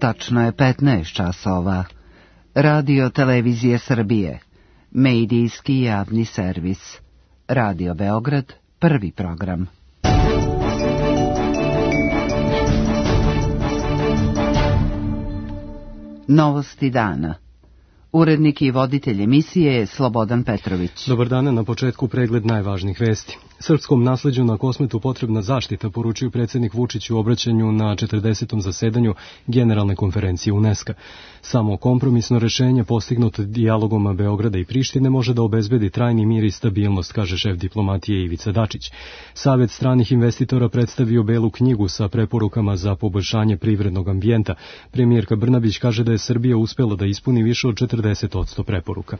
Tačno je 15 časova. Radio Televizije Srbije. Medijski javni servis. Radio Beograd, prvi program. Novosti dana. Urednik i voditelj emisije je Slobodan Petrović. Dobar dan, na početku pregled najvažnijih vesti. Srpskom nasleđu na Kosmetu potrebna zaštita, poručio predsjednik Vučić u obraćanju na 40. zasedanju Generalne konferencije UNESCO. Samo kompromisno rešenje postignuto dijalogom Beograda i Prištine može da obezbedi trajni mir i stabilnost, kaže šef diplomatije Ivica Dačić. Savet stranih investitora predstavio belu knjigu sa preporukama za poboljšanje privrednog ambijenta. Premijerka Brnabić kaže da je Srbija uspela da ispuni više od 40% preporuka.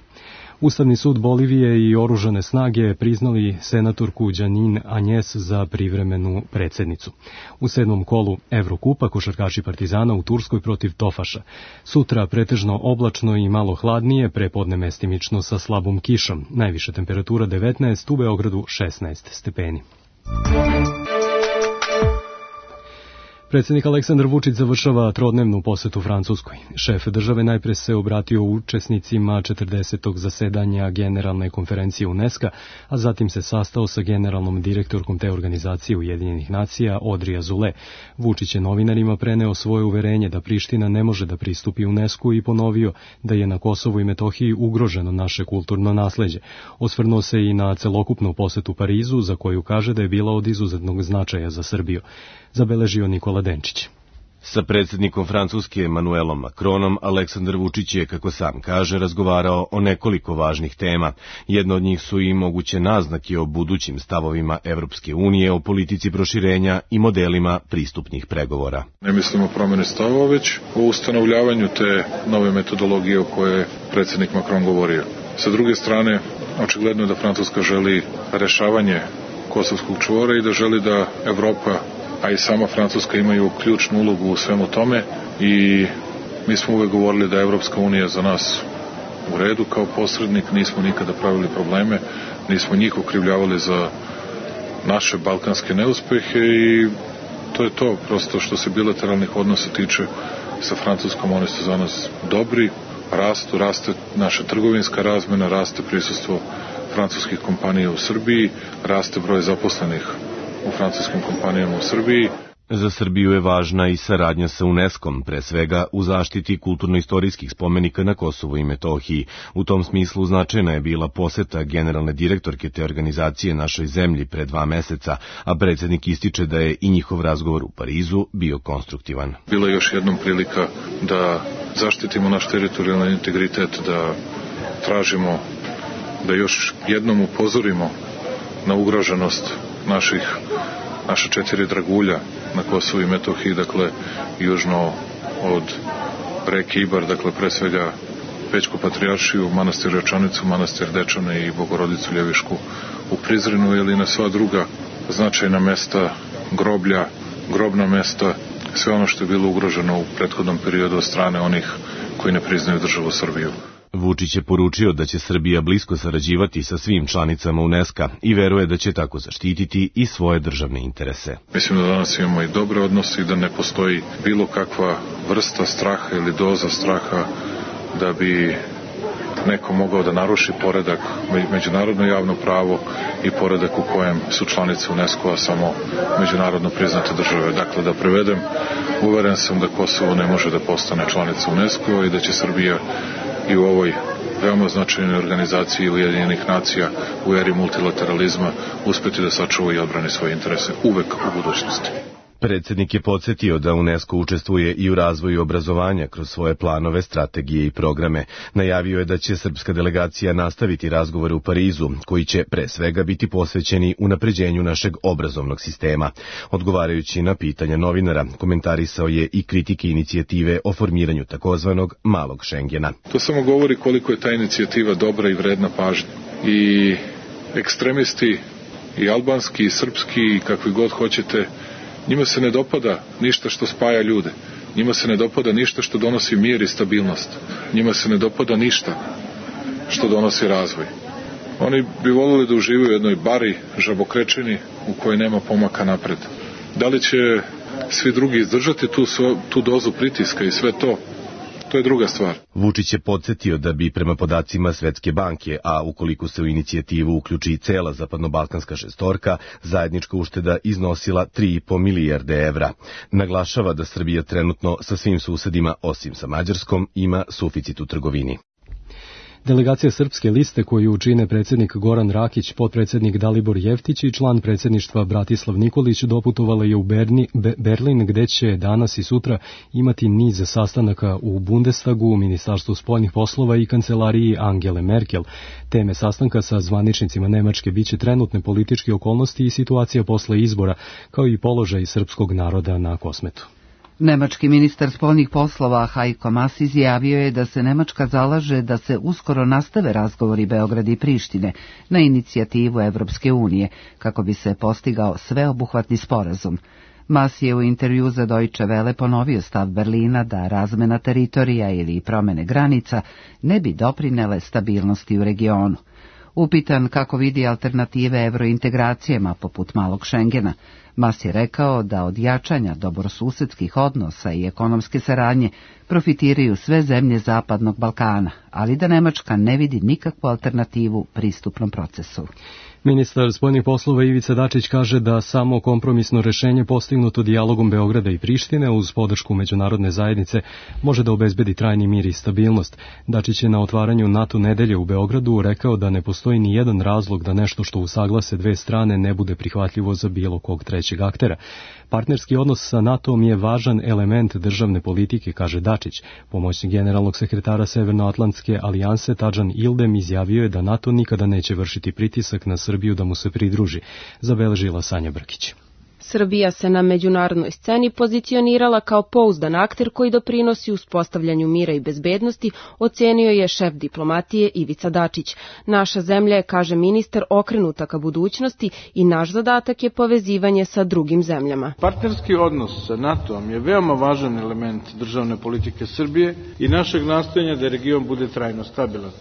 Ustavni sud Bolivije i oružane snage priznali senatorku Đanin Anjes za privremenu predsjednicu. U 7. kolu Evrokupa košarkaši Partizana u Turskoj protiv Tofaša. Sutra pretežno oblačno i malo hladnije, prepodne mestimično sa slabom kišom. Najviša temperatura 19, u Beogradu 16 stepeni. Predsjednik Aleksandar Vučić završava trodnevnu posetu Francuskoj. Šef države najpre se obratio učesnicima 40. zasedanja Generalne konferencije UNESCO, a zatim se sastao sa generalnom direktorkom te organizacije Ujedinjenih nacija Audrey Azoulay. Vučić je novinarima preneo svoje uverenje da Priština ne može da pristupi UNESCO i ponovio da je na Kosovu i Metohiji ugroženo naše kulturno nasleđe. Osvrnuo se i na celokupnu posetu Parizu, za koju kaže da je bila od izuzetnog značaja za Srbiju. Zabeležio Nikola Denčić. Sa predsjednikom Francuske Emmanuelom Macronom Aleksandar Vučić je, kako sam kaže, razgovarao o nekoliko važnih tema. Jedno od njih su i moguće naznake o budućim stavovima Evropske unije, o politici proširenja i modelima pristupnih pregovora. Ne mislimo o promjeni stavova, već o ustanovljavanju te nove metodologije o kojoj je predsjednik Macron govorio. Sa druge strane, očigledno je da Francuska želi rešavanje kosovskog čvora i da želi da Evropa, a i sama Francuska, imaju ključnu ulogu u svemu tome, i mi smo uvek govorili da je Evropska unija za nas u redu kao posrednik, nismo nikada pravili probleme, nismo njih okrivljavali za naše balkanske neuspehe i to je to. Prosto što se bilateralnih odnosa tiče sa Francuskom, oni su za nas dobri, raste naša trgovinska razmena, raste prisustvo francuskih kompanija u Srbiji, raste broj zaposlenih u francuskim kompanijama u Srbiji. Za Srbiju je važna i saradnja sa UNESCO-om, pre svega u zaštiti kulturno-istorijskih spomenika na Kosovu i Metohiji. U tom smislu značajna je bila poseta generalne direktorke te organizacije našoj zemlji pre 2 meseca, a predsjednik ističe da je i njihov razgovor u Parizu bio konstruktivan. Bila je još jednom prilika da zaštitimo naš teritorijalni integritet, da tražimo da još jednom upozorimo na ugroženost naše 4 dragulja na Kosovu i Metohiji, dakle južno od reke Ibar, dakle pre svega Pećku patrijaršiju, manastir Rečanicu, manastir Dečane i Bogorodicu Ljevišku u Prizrenu, ili na sva druga značajna mesta, groblja, grobna mesta, sve ono što je bilo ugroženo u prethodnom periodu od strane onih koji ne priznaju državu Srbiju. Vučić je poručio da će Srbija blisko sarađivati sa svim članicama UNESCO i veruje da će tako zaštititi i svoje državne interese. Mislim da danas imamo i dobre odnose i da ne postoji bilo kakva vrsta straha ili doza straha da bi neko mogao da naruši poredak, međunarodno javno pravo i poredak u kojem su članice UNESCO-a samo međunarodno priznate države. Dakle, da prevedem, uveren sam da Kosovo ne može da postane članica UNESCO-a i da će Srbija i u ovoj veoma značajnoj organizaciji Ujedinjenih nacija u eri multilateralizma uspeti da sačuva i odbrani svoje interese uvek u budućnosti. Predsjednik je podsjetio da UNESCO učestvuje i u razvoju obrazovanja kroz svoje planove, strategije i programe. Najavio je da će srpska delegacija nastaviti razgovore u Parizu, koji će pre svega biti posvećeni unapređenju našeg obrazovnog sistema. Odgovarajući na pitanja novinara, komentarisao je i kritike inicijative o formiranju takozvanog malog Šengena. To samo govori koliko je ta inicijativa dobra i vredna pažnje. I ekstremisti, i albanski, i srpski, i kakvi god hoćete, njima se ne dopada ništa što spaja ljude. Njima se ne dopada ništa što donosi mir i stabilnost. Njima se ne dopada ništa što donosi razvoj. Oni bi volili da uživaju u jednoj bari, žabokrečini u kojoj nema pomaka napred. Da li će svi drugi izdržati tu dozu pritiska i sve to. To je druga stvar. Vučić je podsjetio da bi prema podacima Svetske banke, a ukoliko se u inicijativu uključi cela zapadnobalkanska šestorka, zajednička ušteda iznosila 3,5 milijarde evra. Naglašava da Srbija trenutno sa svim susedima, osim sa Mađarskom, ima suficit u trgovini. Delegacija Srpske liste koju čine predsjednik Goran Rakić, potpredsjednik Dalibor Jeftić i član predsjedništva Bratislav Nikolić doputovala je u Berlin, gde će danas i sutra imati niz sastanaka u Bundestagu, Ministarstvu spoljnih poslova i kancelariji Angele Merkel. Teme sastanka sa zvaničnicima Nemačke biće trenutne političke okolnosti i situacija posle izbora, kao i položaj srpskog naroda na Kosmetu. Nemački ministar spoljnih poslova Heiko Maas izjavio je da se Nemačka zalaže da se uskoro nastave razgovori Beograda i Prištine na inicijativu Evropske unije, kako bi se postigao sveobuhvatni sporazum. Maas je u intervju za Deutsche Welle ponovio stav Berlina da razmena teritorija ili promene granica ne bi doprinele stabilnosti u regionu. Upitan kako vidi alternative evrointegracijama poput malog Šengena, Maas je rekao da od jačanja dobrosusedskih odnosa i ekonomske saradnje profitiraju sve zemlje Zapadnog Balkana, ali da Nemačka ne vidi nikakvu alternativu pristupnom procesu. Ministar spoljnih poslova Ivica Dačić kaže da samo kompromisno rešenje postignuto dijalogom Beograda i Prištine uz podršku međunarodne zajednice može da obezbedi trajni mir i stabilnost. Dačić je na otvaranju NATO nedelje u Beogradu rekao da ne postoji ni jedan razlog da nešto što usaglase dve strane ne bude prihvatljivo za bilo kog trećeg aktera. Partnerski odnos sa NATO-om je važan element državne politike, kaže Dačić. Pomoćnik generalnog sekretara Severnoatlantske alijanse Tadžan Ildem izjavio je da NATO nikada neće vršiti pritisak na Srbiju da mu se pridruži, zabeležila Sanja Brkić. Srbija se na međunarodnoj sceni pozicionirala kao pouzdan akter koji doprinosi uspostavljanju mira i bezbednosti, ocenio je šef diplomatije Ivica Dačić. Naša zemlja je, kaže ministar, okrenuta ka budućnosti i naš zadatak je povezivanje sa drugim zemljama. Partnerski odnos sa NATO-om je veoma važan element državne politike Srbije i našeg nastojanja da region bude trajno stabilan.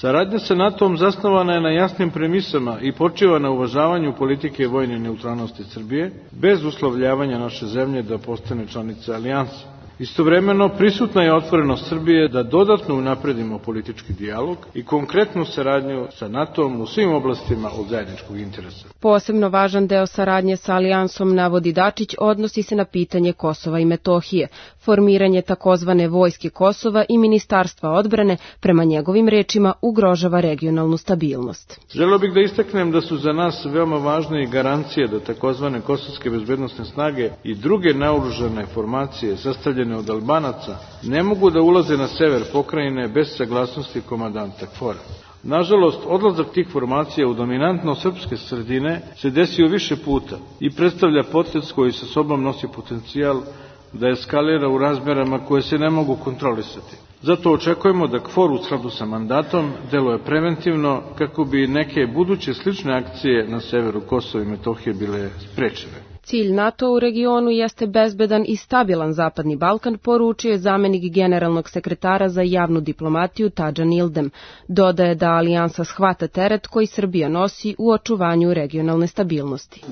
Saradnja sa NATO-om zasnovana je na jasnim premisama i počiva na uvažavanju politike vojne neutralnosti Srbije, bez uslovljavanja naše zemlje da postane članica alijanse. Istovremeno, prisutna je otvorenost Srbije da dodatno unapredimo politički dijalog i konkretnu saradnju sa NATO-om u svim oblastima od zajedničkog interesa. Posebno važan deo saradnje sa alijansom, navodi Dačić, odnosi se na pitanje Kosova i Metohije. Formiranje takozvane vojske Kosova i Ministarstva odbrane, prema njegovim rečima, ugrožava regionalnu stabilnost. Želeo bih da istaknem da su za nas veoma važne i garancije da takozvane kosovske bezbednosne snage i druge naoružane formacije sastavljene od Albanaca ne mogu da ulaze na sever pokrajine bez saglasnosti komandanta KFOR-a. Nažalost, odlazak tih formacija u dominantno srpske sredine se desio više puta i predstavlja potez koji sa sobom nosi potencijal da eskalira u razmerama koje se ne mogu kontrolisati. Zato očekujemo da KFOR u skladu sa mandatom deluje preventivno kako bi neke buduće slične akcije na severu Kosova i Metohije bile sprečene. Cilj NATO u regionu jeste bezbedan i stabilan Zapadni Balkan, poručio je zamenik generalnog sekretara za javnu diplomatiju Tadžan Ildem. Dodaje da alijansa shvata teret koji Srbija nosi u očuvanju regionalne stabilnosti.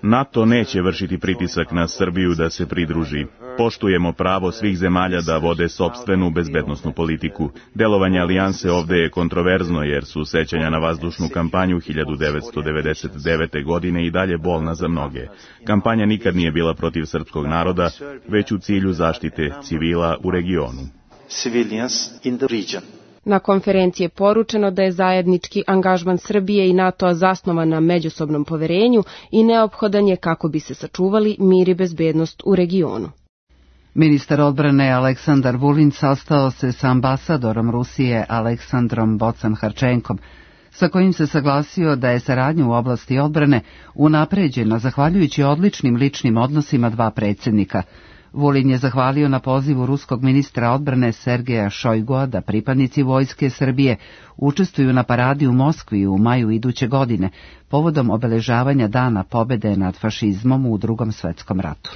NATO neće vršiti pritisak na Srbiju da se pridruži. Poštujemo pravo svih zemalja da vode sopstvenu bezbednosnu politiku. Delovanje alijanse ovde je kontroverzno jer su sećanja na vazdušnu kampanju 1999. godine i dalje bolna za mnoge. Kampanja nikad nije bila protiv srpskog naroda, već u cilju zaštite civila u regionu. Na konferenciji je poručeno da je zajednički angažman Srbije i NATO-a zasnovan na međusobnom poverenju i neophodan je kako bi se sačuvali mir i bezbednost u regionu. Ministar odbrane Aleksandar Vulin sastao se sa ambasadorom Rusije Aleksandrom Bocan-Harčenkom, sa kojim se saglasio da je saradnja u oblasti odbrane unapređena zahvaljujući odličnim ličnim odnosima dva predsjednika. Vulin je zahvalio na pozivu ruskog ministra odbrane Sergeja Šojgua da pripadnici vojske Srbije učestvuju na paradi u Moskvi u maju iduće godine, povodom obeležavanja Dana pobjede nad fašizmom u Drugom svjetskom ratu.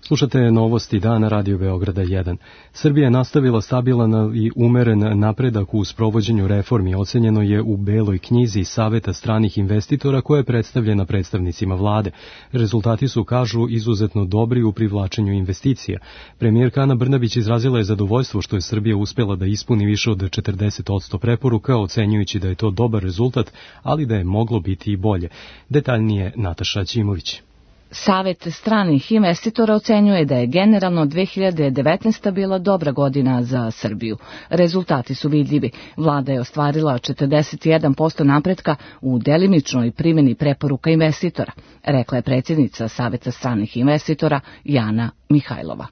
Slušate novosti dana Radio Beograda 1. Srbija je nastavila stabilan i umeren napredak u sprovođenju reformi. Ocenjeno je u Beloj knjizi Saveta stranih investitora koja je predstavljena predstavnicima vlade. Rezultati su, kažu, izuzetno dobri u privlačenju investicija. Premijerka Ana Brnabić izrazila je zadovoljstvo što je Srbija uspela da ispuni više od 40% preporuka, ocenjujući da je to dobar rezultat, ali da je moglo biti i bolje. Detaljnije Nataša Ćimović. Savet stranih investitora ocenjuje da je generalno 2019. bila dobra godina za Srbiju. Rezultati su vidljivi. Vlada je ostvarila 41% napretka u delimičnoj primjeni preporuka investitora, rekla je predsjednica Saveta stranih investitora Jana Mihajlova.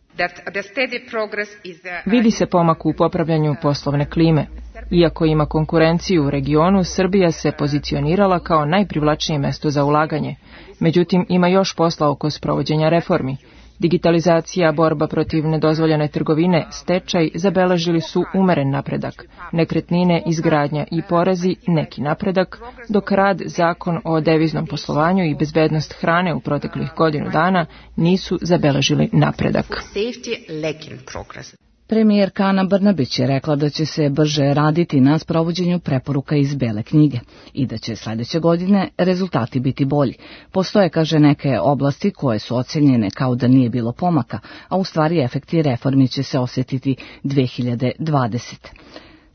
Vidi se pomak u popravljanju poslovne klime. Iako ima konkurenciju u regionu, Srbija se pozicionirala kao najprivlačnije mesto za ulaganje. Međutim, ima još posla oko sprovođenja reformi. Digitalizacija, borba protiv nedozvoljene trgovine, stečaj zabeležili su umeren napredak. Nekretnine, izgradnja i porezi neki napredak, dok rad, zakon o deviznom poslovanju i bezbednost hrane u proteklih godinu dana nisu zabeležili napredak. Premijerka Ana Brnabić je rekla da će se brže raditi na sprovođenju preporuka iz Bele knjige i da će sledeće godine rezultati biti bolji. Postoje, kaže, neke oblasti koje su ocenjene kao da nije bilo pomaka, a u stvari efekti reformi će se osjetiti 2020.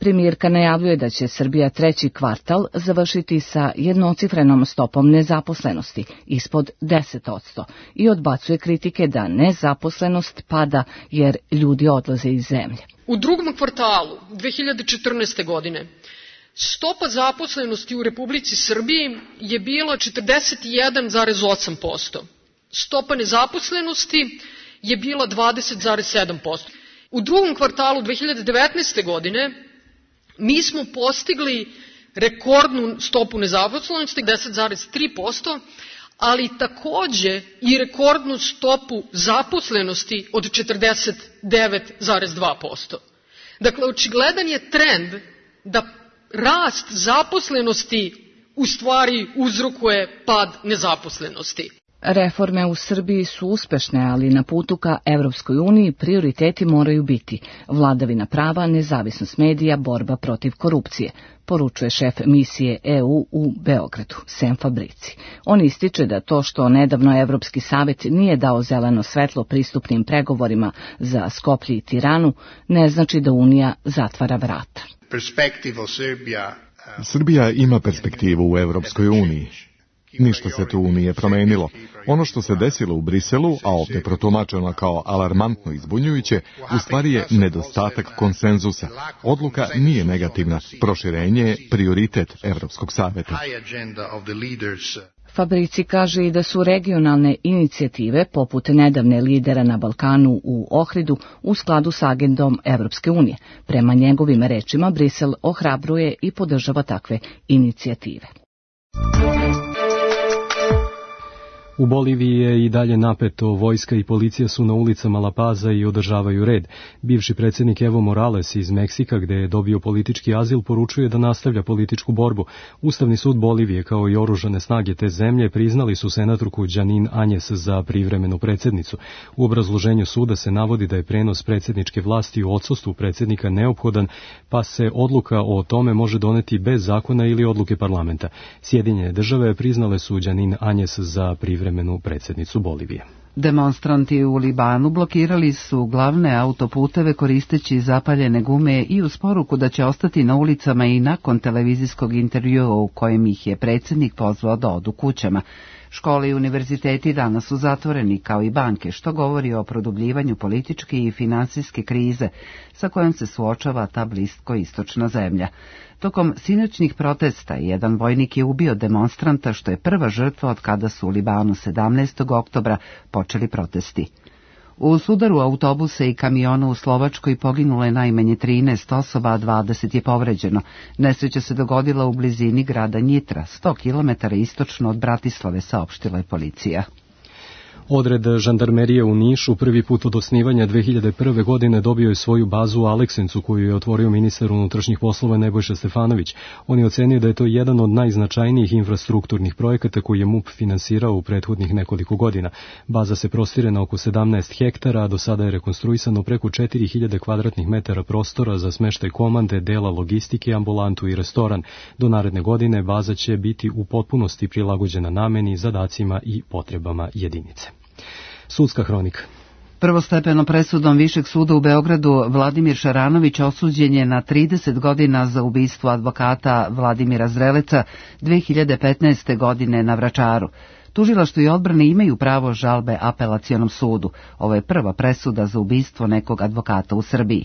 Premijerka najavljuje da će Srbija treći kvartal završiti sa jednocifrenom stopom nezaposlenosti ispod 10% i odbacuje kritike da nezaposlenost pada jer ljudi odlaze iz zemlje. U drugom kvartalu 2014. godine stopa zaposlenosti u Republici Srbiji je bila 41,8%. Stopa nezaposlenosti je bila 20,7%. U drugom kvartalu 2019. godine mi smo postigli rekordnu stopu nezaposlenosti 10,3%, ali takođe i rekordnu stopu zaposlenosti od 49,2%. Dakle, očigledan je trend da rast zaposlenosti u stvari uzrokuje pad nezaposlenosti. Reforme u Srbiji su uspešne, ali na putu ka Evropskoj uniji prioriteti moraju biti vladavina prava, nezavisnost medija, borba protiv korupcije, poručuje šef misije EU u Beogradu, Sem Fabrici. On ističe da to što nedavno Evropski savet nije dao zeleno svetlo pristupnim pregovorima za Skoplje i Tiranu, ne znači da Unija zatvara vrata. Srbija ima perspektivu u Evropskoj uniji. Ništa se tu nije promenilo. Ono što se desilo u Briselu, a ovdje protumačeno kao alarmantno izbunjujuće, u stvari je nedostatak konsenzusa. Odluka nije negativna, proširenje je prioritet Evropskog saveta. Fabrici kaže i da su regionalne inicijative, poput nedavne lidera na Balkanu u Ohridu, u skladu s agendom Evropske unije. Prema njegovim rečima, Brisel ohrabruje i podržava takve inicijative. U Boliviji je i dalje napeto, vojska i policija su na ulicama La Paza i održavaju red. Bivši predsjednik Evo Morales iz Meksika, gde je dobio politički azil, poručuje da nastavlja političku borbu. Ustavni sud Bolivije, kao i oružane snage te zemlje, priznali su senatorku Janine Añez za privremenu predsjednicu. U obrazloženju suda se navodi da je prenos predsjedničke vlasti u odsustvu predsjednika neophodan, pa se odluka o tome može doneti bez zakona ili odluke parlamenta. Sjedinjene države priznale su Janine Añez za privremenu predsjednicu Bolivije. Demonstranti u Libanu blokirali su glavne autoputeve koristeći zapaljene gume i uz poruku da će ostati na ulicama i nakon televizijskog intervjua u kojem ih je predsjednik pozvao da odu kućama. Škole i univerziteti danas su zatvoreni kao i banke, što govori o produbljivanju političke i finansijske krize sa kojom se suočava ta blisko-istočna zemlja. Tokom sinoćnih protesta jedan vojnik je ubio demonstranta, što je prva žrtva od kada su u Libanu 17. oktobra počeli protesti. U sudaru autobusa i kamiona u Slovačkoj poginulo je najmanje 13 osoba, a 20 je povređeno. Nesreća se dogodila u blizini grada Njitra, 100 km istočno od Bratislave, saopštila je policija. Odred žandarmerije u Nišu prvi put od osnivanja 2001. godine dobio je svoju bazu u Aleksincu koju je otvorio ministar unutrašnjih poslova Nebojša Stefanović. On je ocenio da je to jedan od najznačajnijih infrastrukturnih projekata koji je MUP finansirao u prethodnih nekoliko godina. Baza se prostire na oko 17 hektara, a do sada je rekonstruisano preko 4000 kvadratnih metara prostora za smeštaj komande, dela logistike, ambulantu i restoran. Do naredne godine baza će biti u potpunosti prilagođena nameni, zadacima i potrebama jedinice. Sudska hronika. Prvostepenom presudom Višeg suda u Beogradu Vladimir Šaranović osuđen je na 30 godina za ubistvo advokata Vladimira Zreleca 2015. godine na Vračaru. Tužilaštvo i odbrane imaju pravo žalbe apelacionom sudu. Ovo je prva presuda za ubistvo nekog advokata u Srbiji.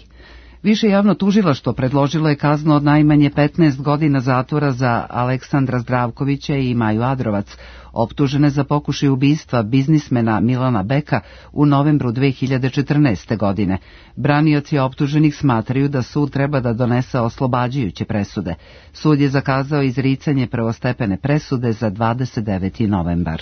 Više javno tužilaštvo predložilo je kaznu od najmanje 15 godina zatvora za Aleksandra Zdravkovića i Maju Adrovac, optužene za pokušaj ubistva biznismena Milana Beka u novembru 2014. godine. Branioci optuženih smatraju da sud treba da donese oslobađajuće presude. Sud je zakazao izricanje prvostepene presude za 29. novembar.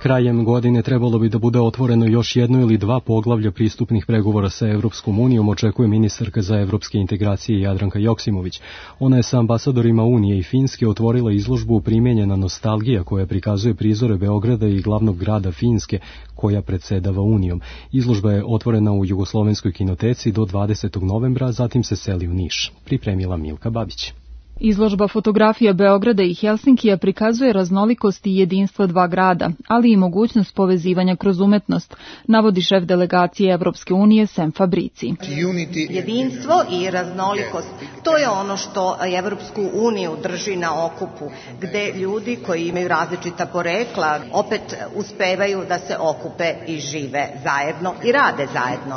Krajem godine trebalo bi da bude otvoreno još jedno ili dva poglavlja pristupnih pregovora sa Evropskom unijom, očekuje ministarka za evropske integracije Jadranka Joksimović. Ona je sa ambasadorima Unije i Finske otvorila izložbu Primenjena nostalgija koja prikazuje prizore Beograda i glavnog grada Finske koja predsedava Unijom. Izložba je otvorena u Jugoslovenskoj kinoteci do 20. novembra, zatim se seli u Niš. Pripremila Milka Babić. Izložba fotografija Beograda i Helsinkija prikazuje raznolikost i jedinstvo dva grada, ali i mogućnost povezivanja kroz umetnost, navodi šef delegacije Evropske unije Sem Fabrici. Jedinstvo i raznolikost, to je ono što Evropsku uniju drži na okupu, gde ljudi koji imaju različita porekla opet uspevaju da se okupe i žive zajedno i rade zajedno.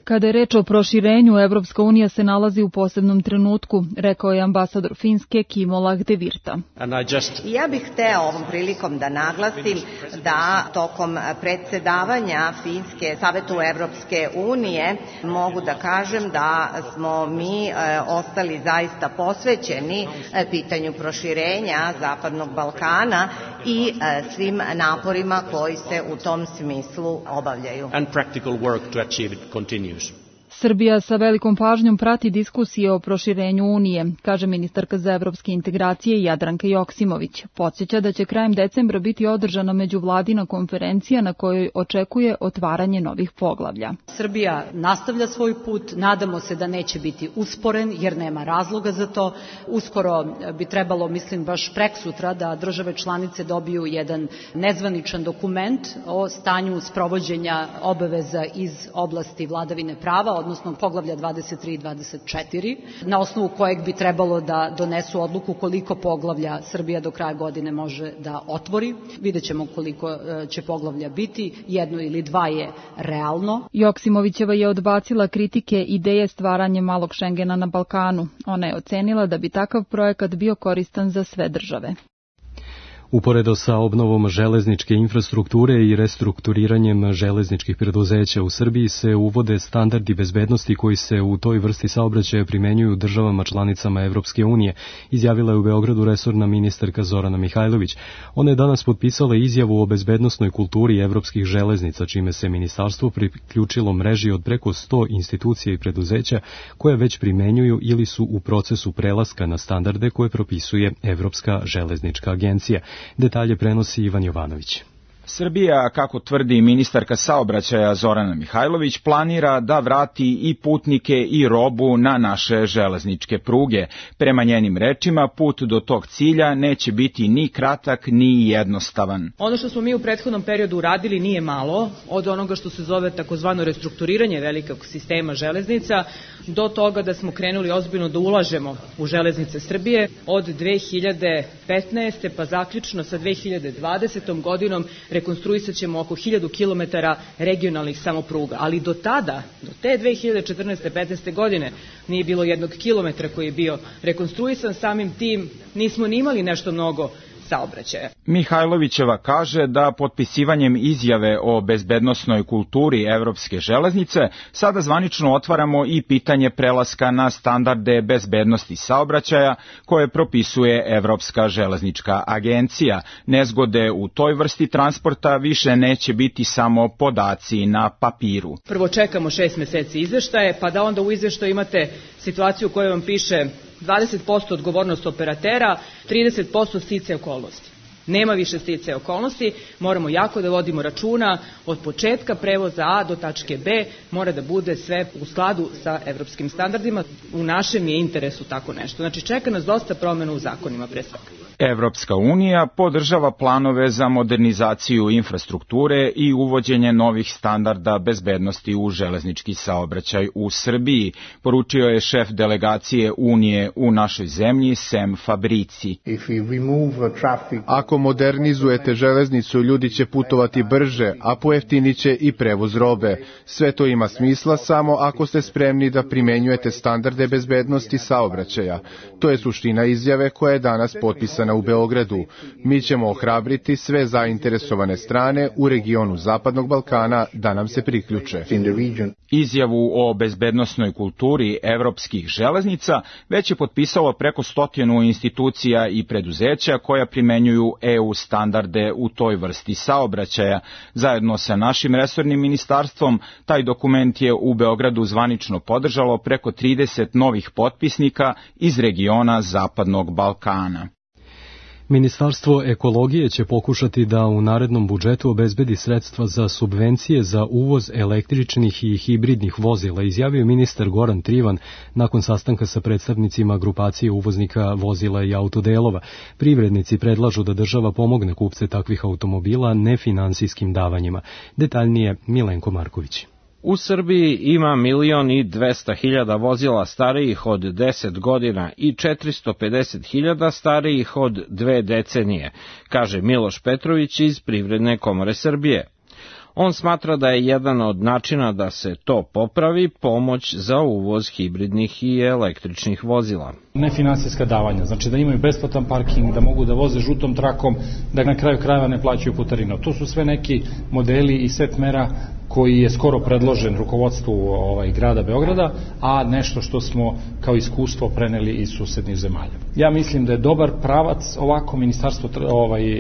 Kada je reč o proširenju, Evropska unija se nalazi u posebnom trenutku, rekao je ambasador Finske Kimo Lahdevirta. Ja bih hteo ovom prilikom da naglasim da tokom predsedavanja Finske Savetu Evropske unije mogu da kažem da smo mi ostali zaista posvećeni pitanju proširenja Zapadnog Balkana i svim naporima koji se u tom smislu obavljaju. Srbija sa velikom pažnjom prati diskusije o proširenju Unije, kaže ministarka za evropske integracije Jadranka Joksimović. Podsjeća da će krajem decembra biti održana međuvladina konferencija na kojoj očekuje otvaranje novih poglavlja. Srbija nastavlja svoj put, nadamo se da neće biti usporen jer nema razloga za to. Uskoro bi trebalo, mislim baš preksutra, da države članice dobiju jedan nezvaničan dokument o stanju sprovođenja obaveza iz oblasti vladavine prava, odnosno poglavlja 23 i 24, na osnovu kojeg bi trebalo da donesu odluku koliko poglavlja Srbija do kraja godine može da otvori. Vidjet ćemo koliko će poglavlja biti, jedno ili dva je realno. Joksimovićeva je odbacila kritike ideje stvaranja malog Šengena na Balkanu. Ona je ocenila da bi takav projekat bio koristan za sve države. Uporedo sa obnovom železničke infrastrukture i restrukturiranjem železničkih preduzeća u Srbiji se uvode standardi bezbednosti koji se u toj vrsti saobraćaja primenjuju državama članicama Evropske unije, izjavila je u Beogradu resorna ministarka Zorana Mihajlović. Ona je danas potpisala izjavu o bezbednosnoj kulturi evropskih železnica, čime se ministarstvo priključilo mreži od preko 100 institucija i preduzeća koje već primenjuju ili su u procesu prelaska na standarde koje propisuje Evropska železnička agencija. Detalje prenosi Ivan Jovanović. Srbija, kako tvrdi ministarka saobraćaja Zorana Mihajlović, planira da vrati i putnike i robu na naše železničke pruge. Prema njenim rečima, put do tog cilja neće biti ni kratak ni jednostavan. Ono što smo mi u prethodnom periodu uradili nije malo, od onoga što se zove takozvano restrukturiranje velikog sistema železnica, do toga da smo krenuli ozbiljno da ulažemo u železnice Srbije od 2015. pa zaključno sa 2020. godinom rekonstruisat ćemo oko 1000 km regionalnih samopruga, ali do tada, do te 2014-15. godine nije bilo jednog kilometra koji je bio rekonstruisan, samim tim nismo ni imali nešto mnogo saobraćaja. Mihajlovićeva kaže da potpisivanjem izjave o bezbednosnoj kulturi Evropske železnice sada zvanično otvaramo i pitanje prelaska na standarde bezbednosti saobraćaja koje propisuje Evropska železnička agencija. Nezgode u toj vrsti transporta više neće biti samo podaci na papiru. Prvo čekamo 6 meseci izveštaje, pa da onda u izveštaju imate situaciju u kojoj vam piše 20% odgovornost operatera, 30% sticaja okolnosti. Nema više sticaja okolnosti, moramo jako da vodimo računa od početka prevoza A do tačke B, mora da bude sve u skladu sa evropskim standardima. U našem je interesu tako nešto. Znači čeka nas dosta promjena u zakonima pre svega. Evropska unija podržava planove za modernizaciju infrastrukture i uvođenje novih standarda bezbednosti u železnički saobraćaj u Srbiji, poručio je šef delegacije Unije u našoj zemlji Sem Fabrici. Ako modernizujete železnicu, ljudi će putovati brže, a pojeftiniće i prevoz robe. Sve to ima smisla samo ako ste spremni da primenjujete standarde bezbednosti saobraćaja. To je suština izjave koja je danas potpisana u Beogradu. Mi ćemo ohrabriti sve zainteresovane strane u regionu Zapadnog Balkana da nam se priključe. Izjavu o bezbednosnoj kulturi evropskih železnica već je potpisalo preko 100 institucija i preduzeća koja primenjuju EU standarde u toj vrsti saobraćaja. Zajedno sa našim resornim ministarstvom, taj dokument je u Beogradu zvanično podržalo preko 30 novih potpisnika iz regiona Zapadnog Balkana. Ministarstvo ekologije će pokušati da u narednom budžetu obezbedi sredstva za subvencije za uvoz električnih i hibridnih vozila, izjavio ministar Goran Trivan nakon sastanka sa predstavnicima grupacije uvoznika vozila i autodelova. Privrednici predlažu da država pomogne kupce takvih automobila nefinansijskim davanjima. Detaljnije Milenko Marković. U Srbiji ima 1.200.000 vozila starijih od 10 godina i 450.000 starijih od 2 decenije, kaže Miloš Petrović iz Privredne komore Srbije. On smatra da je jedan od načina da se to popravi pomoć za uvoz hibridnih i električnih vozila. Nefinansijska davanja, znači da imaju besplatan parking, da mogu da voze žutom trakom, da na kraju krajeva ne plaćaju putarinu. To su sve neki modeli i set mera koji je skoro predložen rukovodstvu grada Beograda, a nešto što smo kao iskustvo preneli iz susednih zemalja. Ja mislim da je dobar pravac, ovako Ministarstvo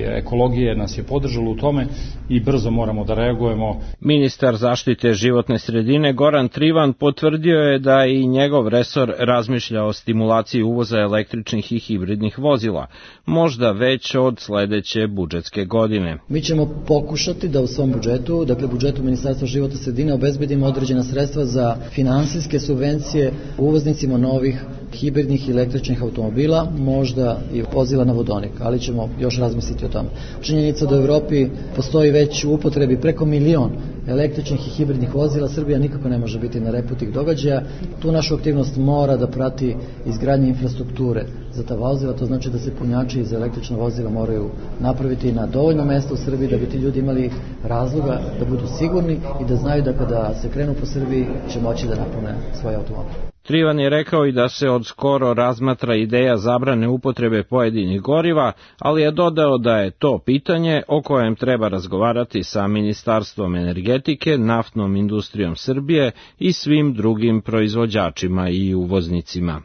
ekologije nas je podržalo u tome i brzo moramo da reagujemo. Ministar zaštite životne sredine Goran Trivan potvrdio je da i njegov resor razmišlja o stimulaciji uvoza električnih i hibridnih vozila, možda već od sledeće budžetske godine. Mi ćemo pokušati da u svom budžetu, dakle budžetu Ministarstva životne sredine, obezbedimo određena sredstva za finansijske subvencije uvoznicima novih hibridnih i električnih automobila, možda i vozila na vodonik, ali ćemo još razmisliti o tome. Činjenica da u Evropi postoji već u upotrebi preko 1 milion električnih i hibridnih vozila, Srbija nikako ne može biti na repu tih događaja. Tu našu aktivnost mora da prati izgradnje infrastrukture za ta vozila, to znači da se punjači za električna vozila moraju napraviti na dovoljno mesta u Srbiji da bi ti ljudi imali razloga da budu sigurni i da znaju da kada se krenu po Srbiji će moći da napune svoje automobile. Trivan je rekao i da se od skoro razmatra ideja zabrane upotrebe pojedinih goriva, ali je dodao da je to pitanje o kojem treba razgovarati sa Ministarstvom energetike, naftnom industrijom Srbije i svim drugim proizvođačima i uvoznicima.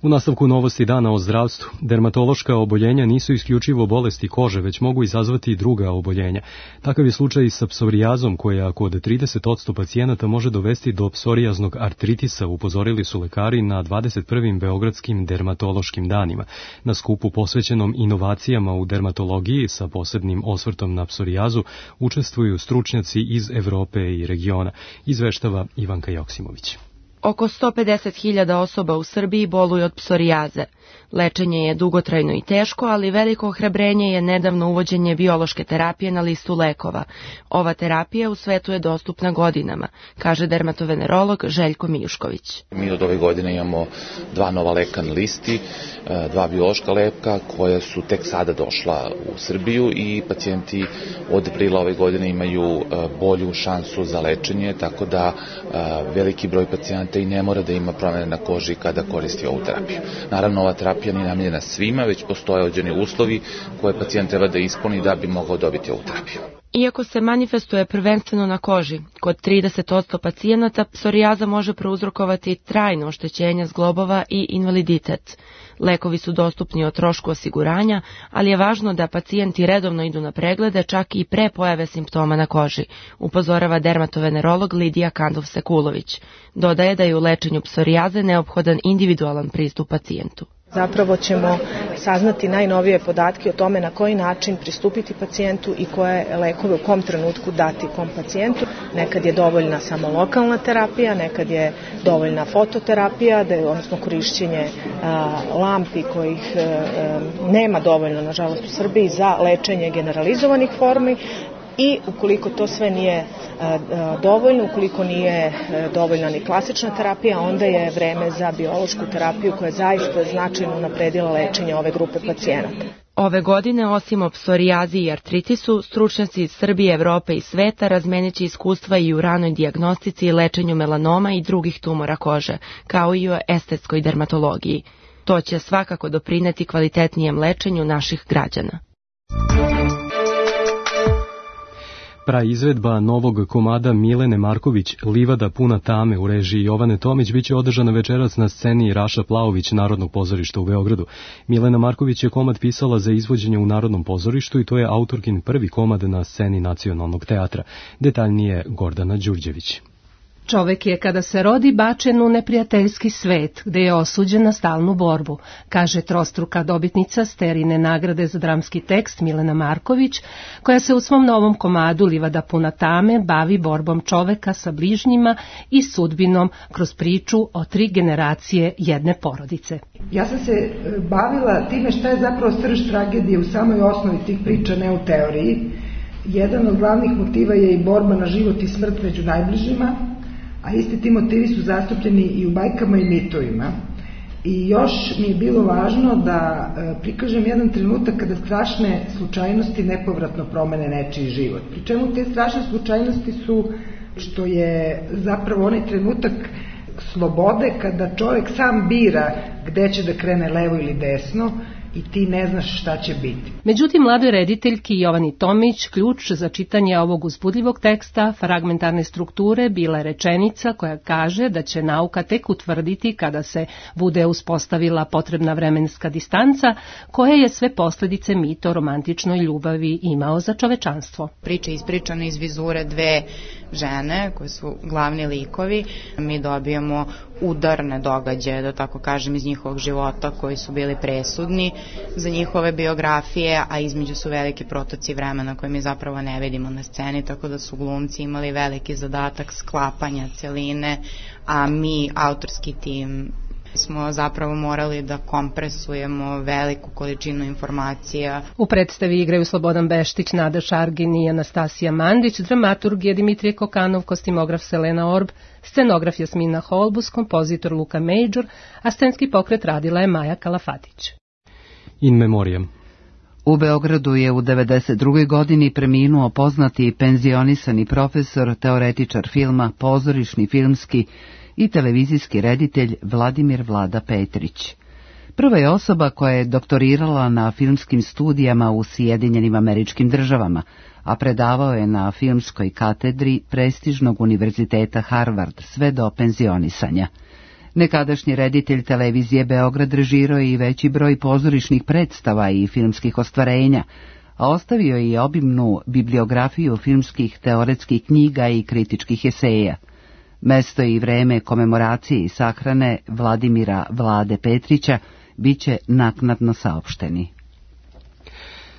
U nastavku novosti dana o zdravstvu, dermatološka oboljenja nisu isključivo bolesti kože, već mogu izazvati i druga oboljenja. Takav je slučaj i sa psorijazom, koja kod 30% pacijenata može dovesti do psorijaznog artritisa, upozorili su lekari na 21. Beogradskim dermatološkim danima. Na skupu posvećenom inovacijama u dermatologiji sa posebnim osvrtom na psorijazu učestvuju stručnjaci iz Evrope i regiona, izveštava Ivanka Joksimović. Oko 150.000 osoba u Srbiji boluju od psorijaze. Lečenje je dugotrajno i teško, ali veliko ohrabrenje je nedavno uvođenje biološke terapije na listu lekova. Ova terapija u svetu je dostupna godinama, kaže dermatovenerolog Željko Mijušković. Mi od ove godine imamo 2 nova leka na listi, 2 biološka leka koja su tek sada došla u Srbiju i pacijenti od aprila ove godine imaju bolju šansu za lečenje, tako da veliki broj pacijenata i ne mora da ima promjene na koži kada koristi ovu terapiju. Naravno, ova terapija nije namijenjena svima, već postoje određeni uslovi koje pacijent treba da ispuni da bi mogao dobiti ovu terapiju. Iako se manifestuje prvenstveno na koži, kod 30% pacijenata psorijaza može prouzrokovati trajno oštećenje zglobova i invaliditet. Lekovi su dostupni o trošku osiguranja, ali je važno da pacijenti redovno idu na preglede čak i pre pojave simptoma na koži, upozorava dermatovenerolog Lidija Kandov-Sekulović. Dodaje da je u lečenju psorijaze neophodan individualan pristup pacijentu. Zapravo ćemo saznati najnovije podatke o tome na koji način pristupiti pacijentu i koje lekove u kom trenutku dati kom pacijentu. Nekad je dovoljna samo lokalna terapija, nekad je dovoljna fototerapija, odnosno korišćenje lampi kojih nema dovoljno, nažalost, u Srbiji za lečenje generalizovanih formi. I ukoliko to sve nije dovoljno, ukoliko nije dovoljna ni klasična terapija, onda je vreme za biološku terapiju koja je zaista značajno unapredila lečenje ove grupe pacijenata. Ove godine, osim o psorijazi i artritisu, stručnjaci iz Srbije, Evrope i sveta razmeniće iskustva i u ranoj dijagnostici i lečenju melanoma i drugih tumora kože, kao i o estetskoj dermatologiji. To će svakako doprineti kvalitetnijem lečenju naših građana. Praizvedba novog komada Milene Marković, Livada puna tame u režiji Jovane Tomić, biće održana večeras na sceni Raša Plaović Narodnog pozorišta u Beogradu. Milena Marković je komad pisala za izvođenje u Narodnom pozorištu i to je autorkin prvi komad na sceni Nacionalnog teatra. Detaljnije Gordana Đurđević. Čovek je kada se rodi bačen u neprijateljski svet, gde je osuđen na stalnu borbu, kaže trostruka dobitnica Sterine nagrade za dramski tekst Milena Marković, koja se u svom novom komadu Livada puna tame bavi borbom čoveka sa bližnjima i sudbinom kroz priču o 3 generacije jedne porodice. Ja sam se bavila time šta je zapravo srž tragedije u samoj osnovi tih priča, ne u teoriji. Jedan od glavnih motiva je i borba na život i smrt među najbližima, a isti ti motivi su zastupljeni i u bajkama i mitovima. I još mi je bilo važno da prikažem jedan trenutak kada strašne slučajnosti nepovratno promene nečiji život. Pri čemu te strašne slučajnosti su što je zapravo onaj trenutak slobode kada čovjek sam bira gde će da krene levo ili desno i ti ne znaš šta će biti. Međutim, mladoj rediteljki Jovani Tomić ključ za čitanje ovog uzbudljivog teksta fragmentarne strukture bila je rečenica koja kaže da će nauka tek utvrditi kada se bude uspostavila potrebna vremenska distanca koja je sve posljedice mita o romantičnoj ljubavi imao za čovečanstvo. Priča ispričana iz vizure 2 žene koje su glavni likovi. Mi dobijamo udarne događaje, da tako kažem, iz njihovog života koji su bili presudni za njihove biografije, a između su veliki protoci vremena koje mi zapravo ne vidimo na sceni, tako da su glumci imali veliki zadatak sklapanja celine, a mi, autorski tim, smo zapravo morali da kompresujemo veliku količinu informacija. U predstavi igraju Slobodan Beštić, Nada Šargin i Anastasija Mandić, dramaturg je Dimitrije Kokanov, kostimograf Selena Orb, scenograf Jasmina Holbus, kompozitor Luka Major, a scenski pokret radila je Maja Kalafatić. In memoriam. U Beogradu je u 92. godini preminuo poznati penzionisani profesor, teoretičar filma, pozorišni, filmski i televizijski reditelj Vladimir Vlada Petrić. Prva je osoba koja je doktorirala na filmskim studijama u Sjedinjenim Američkim Državama, a predavao je na filmskoj katedri prestižnog univerziteta Harvard sve do penzionisanja. Nekadašnji reditelj televizije Beograd režirao je i veći broj pozorišnih predstava i filmskih ostvarenja, a ostavio je i obimnu bibliografiju filmskih teoretskih knjiga i kritičkih eseja. Mesto i vreme komemoracije i sahrane Vladimira Vlade Petrića biće naknadno saopšteni.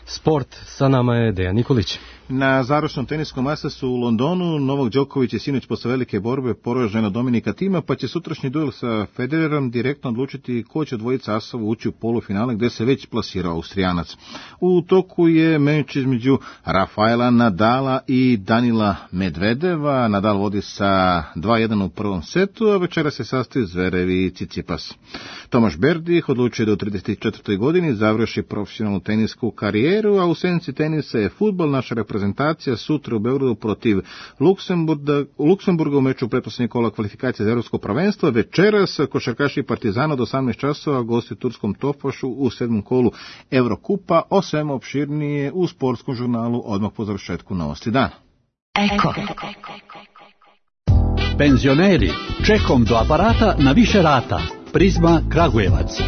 Sport, sa nama je Dejan Nikolić. Na završnom teniskom Mastersu u Londonu Novak Đoković je sinoć posle velike borbe poražen od Dominika Tima, pa će sutrašnji duel sa Federerom direktno odlučiti ko će od dvojica asova ući u polufinale gde se već plasirao Austrijanac. U toku je meč između Rafaela Nadala i Danila Medvedeva. Nadal vodi sa 2:1 u prvom setu, a večera se sastoji Zverev i Cicipas. Tomaš Berdih odlučio da u 34. godini završi profesionalnu tenisku karijeru, a u senci tenisa je fudbal. Naša reprezentacija reprezentacija sutra u Beogradu protiv Luksemburga u meču pretposlednjeg kola kvalifikacije za evropsko prvenstvo. Večeras košarkaši Partizana od 18 časova gosti turskom Tofašu u 7. kolu Evrokupa. O svemu opširnije u sportskom žurnalu odmah po završetku Novosti dana. Eko. Penzioneri, čekom do aparata na više rata. Prizma Kragujevac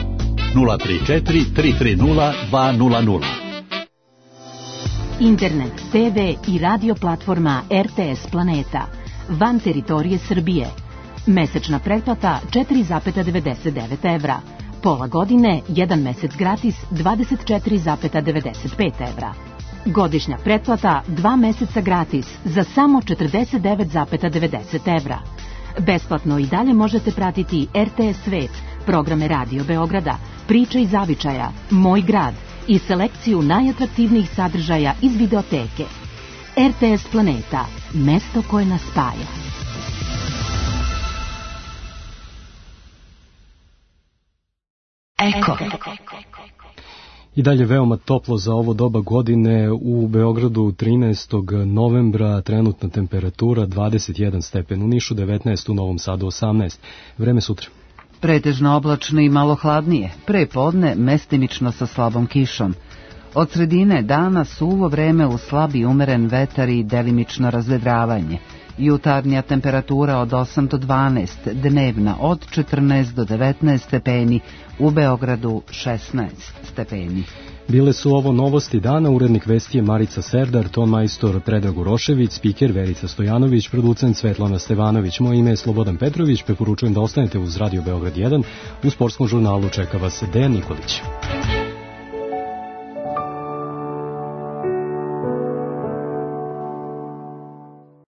034 330 200. Internet, TV i radio platforma RTS Planeta van teritorije Srbije. Mesečna pretplata 4,99 evra. Pola godine, 1 mesec gratis 24,95 evra. Godišnja pretplata 2 meseca gratis za samo 49,90 evra. Besplatno i dalje možete pratiti RTS Svet, programe Radio Beograda, Priče iz zavičaja, Moj grad i selekciju najatraktivnijih sadržaja iz videoteke. RTS Planeta, mesto koje nas spaja. Eko. I dalje veoma toplo za ovo doba godine u Beogradu 13. novembra, trenutna temperatura 21 stepen, u Nišu 19, u Novom Sadu 18. Vreme sutra. Pretežno oblačno i malo hladnije, pre podne mestimično sa slabom kišom. Od sredine dana suvo vreme uz slab i umeren vetar i delimično razvedravanje. Jutarnja temperatura od 8 do 12, dnevna od 14 do 19 stepeni, u Beogradu 16 stepeni. Bile su ovo novosti dana, urednik vesti je Marica Serdar, ton majstor Predrag Urošević, spiker Verica Stojanović, producent Svetlana Stevanović. Moje ime je Slobodan Petrović, preporučujem da ostanete uz Radio Beograd 1, u sportskom žurnalu čeka vas Dejan Nikolić.